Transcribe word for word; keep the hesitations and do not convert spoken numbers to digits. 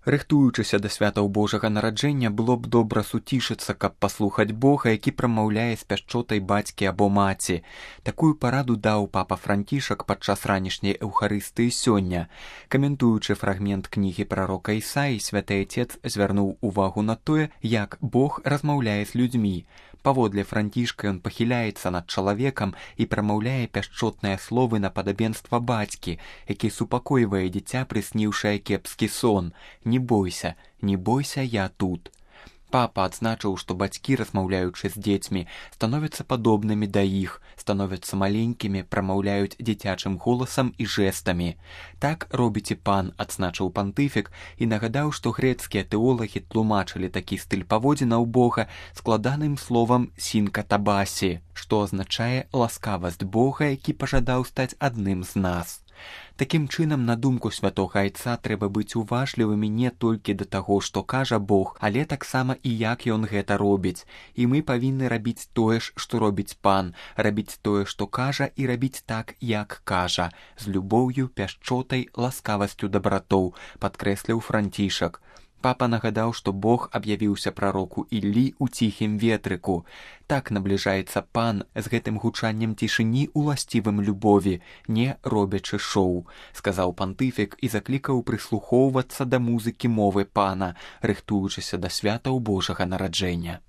Рыхтуючыся да святаў Божага нараджэння, было б добра суцішыцца, каб паслухаць Бога, які прамаўляе з пяшчотай бацькі або маці. Такую параду даў папа Францішак падчас ранішняй эўхарыстыі сёння. Каментуючы фрагмент кнігі прарока Ісаі, святы Отец звярнуў увагу на тое, як Бог размаўляе з людзьмі. Паводле Францішка ён пахіляецца над чалавекам і прамаўляе пяшчотныя словы на падабенства бацькі, які супакойвае дзіця, прысніўшае кепскі сон. Не бойся, не бойся, я тут. Папа адзначыў, што бацькі, размаўляючы з дзецьмі, становяцца падобнымі да іх, становяцца маленькімі, прамаўляюць дзіцячым голасам і жэстамі. Так робіць і пан, адзначыў пантыфік і нагадаў, што грэцкія тэолагі тлумачылі такі стыль паводзінаў Бога складаным словам сінкатабасі, што азначае ласкавасць Бога, які пажадаў стаць адным з нас. Такім чынам, на думку святога Айца, трэба быць уважлівымі не толькі да таго, што кажа Бог, але таксама і як ён гэта робіць. І мы павінны рабіць тое ж, што робіць пан, рабіць тое, што кажа, і рабіць так, як кажа, з любоўю, пяшчотай, ласкавасцю дабратоў, падкрэсліў Францішак. Папа нагадаў, што Бог аб'явіўся прароку Іллі ў ціхім ветрыку. Так набліжаецца пан з гэтым гучаннем цішыні, уласцівым любові, не робячы шоу, сказаў пантыфік і заклікаў прыслухоўвацца да музыкі мовы пана, рыхтуючыся да святаў Божага нараджэння.